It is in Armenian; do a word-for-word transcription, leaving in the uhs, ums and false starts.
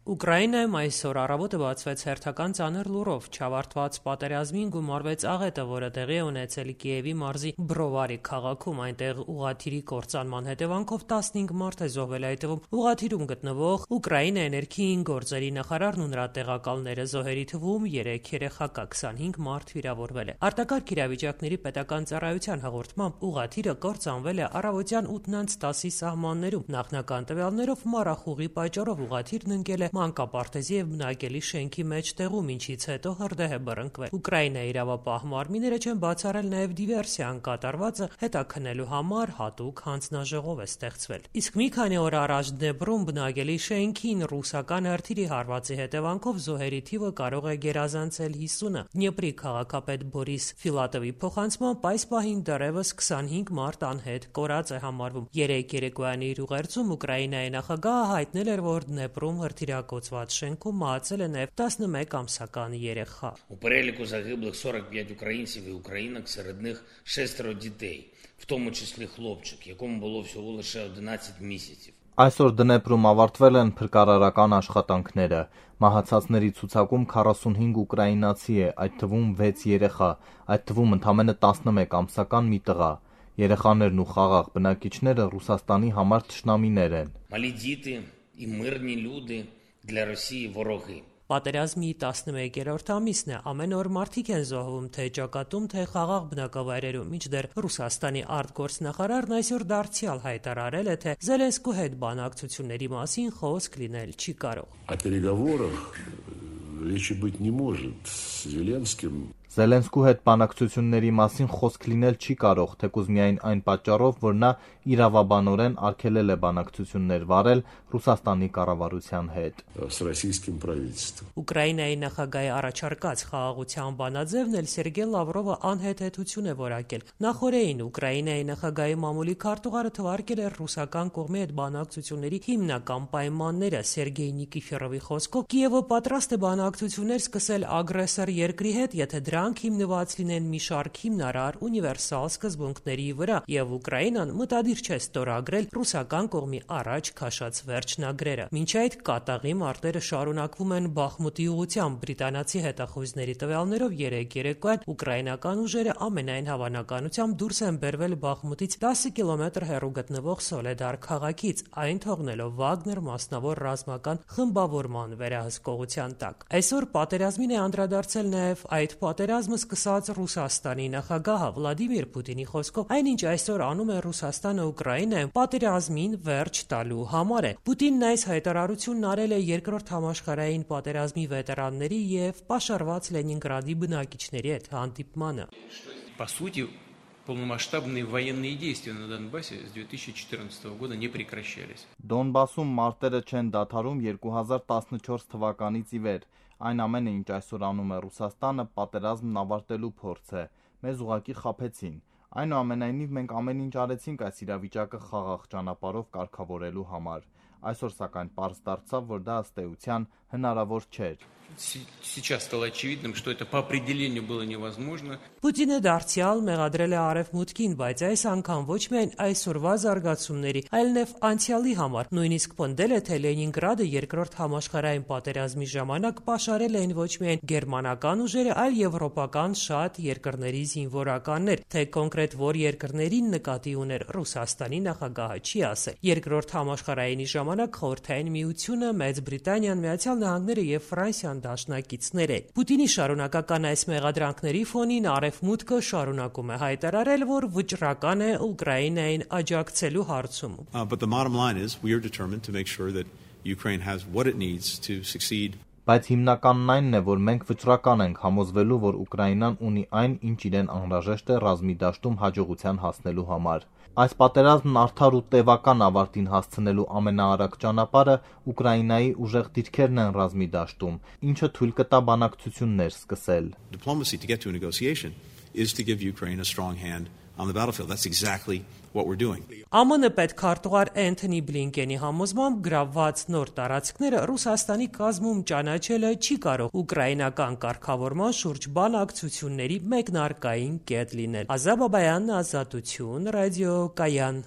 Ուկրաինայում այսօր առավոտը բացվեց հերթական ծանր լուրով չավարտված պատերազմին գումարվեց աղետը, որը տեղի է ունեցել Կիևի մարզի Բրովարի քաղաքում։ Այնտեղ ուղղաթիռի կործանման հետևանքով տասնհինգ մարդ է զոհվել, այդ թվում ուղղաթիռում գտնվող Ուկրաինայի ներքին գործերի նախարարն ու նրա տեղակալները, զոհերի թվում երեք երեխա կա, քսանհինգ մարդ վիրավորվել է։ Արտակարգ իրավիճակների պետական ծառայության հաղորդմամբ ուղղաթիռը կործանվել է առավոտյան ութն անց տասի սահմաններում։ Նախնական տվյալներով մառախուղի պատճառով ուղղաթիռն ընկել է մանկապարտեզի եւ բնակելի շենքի մեջտեղում, ինչից հետո հրդեհ է բռնկվել։ Ուկրաինայի իրավապահ մարմինները չեն բացառել նաեւ դիվերսիան կատարվածը հետաքննելու համար հատուկ հանձնաժողով է ստեղծվել։ Իսկ մի քանի օր առաջ Դնեպրում բնակելի շենքին ռուսական հրթիռի հարվածի հետևանքով զոհերի թիվը կարող է գերազանցել հիսունը։ Դնեպրի քաղաքապետ Բորիս Ֆիլատովի փոխանցմամբ այս պահին դեռևս քսանհինգ մարդ անհետ կորած է համարվում։ Երեկ երեկոյան իր ուղերձում Ուկրաինայի նախագահը հայտնել էր, որ Դնեպրում հրթիռակոծված շենքում մահացել է նաև տասնմեկ ամսական երեխա։ У переліку загиблих сорок п'ять українців і українок, серед них шестеро дітей, в тому числі хлопчик, якому було всього лише одинадцять місяців. Այսօր Դնեպրում ավարտվել են փրկարարական աշխատանքները։ Մահացածների ցուցակում քառասունհինգ ուկրաինացի է, այդ թվում վեց երեխա, այդ թվում ընդամենը տասնմեկ ամսական մի տղա։ Երեխաներն ու խաղաղ բնակիչները Ռուսաստանի համար թշնամիներ են։ Малі діти і мирні люди для Росії вороги. Պատերազմի տասնմեկերորդ ամիսն է, ամեն օր մարդիկ են զոհվում թե ճակատում, թե խաղաղ բնակավայրերում, մինչդեռ Ռուսաստանի արտգործնախարարն այսօր դարձյալ հայտարարել է, թե Զելենսկու հետ բանակցությունների մասին խոսք լինել չի կարող։ О переговорах речи быть не может с Зеленским. Զելենսկու հետ բանակցությունների մասին խոսք լինել չի կարող, թեկուզ միայն այն պատճառով, որ նա իրավաբանորեն արգելել է բանակցություններ վարել Ռուսաստանի կառավարության հետ։ С российским правительством. Ուկրաինայի նախագահի առաջարկած խաղաղության բանաձևն էլ Սերգեյ Լավրովը անհեթեթություն է որակել։ Նախորդին Ուկրաինայի նախագահի մամուլի քարտուղարը թվարկել էր ռուսական կողմի հետ բանակցությունների հիմնական պայմանները։ Սերգեյ Նիկիֆորովի խոսքով Կիևը պատրաստ է բանակցություններ սկսել ագրեսոր երկրի հետ, եթե դրանք հիմնված լինեն մի շարք հիմնարար ունիվերսալ սկզբունքների վրա, եւ Ուկրաինան մտադիր չէ ստորագրել ռուսական կողմի առաջ քաշած վերջնագրերը։ Մինչ այդ կատաղի մարտերը շարունակվում են Բախմուտի ուղղությամբ։ Բրիտանացի հետախույզների տվյալներով երեկ երեկոյան ուկրաինական ուժերը ամենայն հավանականությամբ դուրս են բերվել Բախմուտից տասը կիլոմետր հեռու գտնվող Սոլեդար քաղաքից, այն թողնելով Վագներ մասնավոր ռազմական խմբավորման վերահսկողության տակ։ Այսօր պատերազմին է անդրադարձել նաև այդ պատերազմը սկսած Ռուսաստանի նախագահը Վլադիմիր Պուտինի խոսքով այնինչ այսօր անում է Ռուսաստանը Ուկրաինայում պատերազմին վերջ տալու համար է։ Պուտինն այս հայտարարությունն արել է երկրորդ համաշխարհային պատերազմի վետերանների եւ պաշարված Լենինգրադի բնակիչների հետ հանդիպմանը։ По сути, полномасштабные военные действия на Донбассе с две тысячи четырнадцатого года не прекращались. Դոնբասում մարտերը չեն դադարում երկու հազար տասնչորս թվականից ի վեր։ Այն ամենը, ինչ այսօր անում է Ռուսաստանը, պատերազմն ավարտելու փորձ է։ Մեզ ուղղակի խաբեցին։ Այնուամենայնիվ մենք ամեն ինչ արեցինք այս իրավիճակը խաղաղ ճանապարհով կարգավորելու համար։ Այսօր սակայն պարզ դարձավ, որ դա ըստ էության հնարավոր չէր։ Сейчас стало очевидным, что это по определению было невозможно. Պուտինը դարձյալ մեղադրել է Արևմուտքին, բայց այս անգամ ոչ միայն այսօրվա զարգացումների, այլ նաև անցյալի համար։ Նույնիսկ պնդել է, թե Լենինգրադը երկրորդ համաշխարհային պատերազմի ժամանակ պաշարել էին ոչ միայն գերմանական ուժերը, այլ եվրոպական շատ երկրների զինվորականներ, թե կոնկրետ որ երկրներին նկատի ուներ Ռուսաստանի նախագահը չի ասել։ Երկրորդ համաշխարհայինի ժամանակ Խորհրդային Միությունը, Մեծ Բրիտանիան, Միացյալ Նահանգները եւ Ֆրանսիան դաշնակիցներ են։ Պուտինի շարունակական այս մեղադրանքների ֆոնին Արևմուտքը շարունակում է հայտարարել, որ վճռական է Ուկրաինային աջակցելու հարցում։ But the bottom line is we are determined to make sure that Ukraine has what it needs to succeed. Բայց հիմնականն այնն է, որ մենք վճռական ենք համոզվելու, որ Ուկրաինան ունի այն, ինչ իրեն անհրաժեշտ է ռազմի դաշտում հաջողության հասնելու համար։ Այս պատերազմն արդար ու տևական ավարտին հասցնելու ամենաարագ ճանապարհը Ուկրաինայի ուժեղ դիրքերն են ռազմի դաշտում, ինչը թույլ կտա բանակցություններ սկսել։ Diplomacy to get to a negotiation is to give Ukraine a strong hand on the battlefield. That's exactly what we're doing. Է մ ն պետքարտուղար Էնթոնի Բլինկենի համոզմամբ գրավված նոր տարածքները Ռուսաստանի կազմում ճանաչելը չի կարող ուկրաինական կարգավորման շուրջ բանակցությունների մեկնարկային կետ լինել։ Ազա Բաբայան, Ազատություն, Ռադիո Կայան։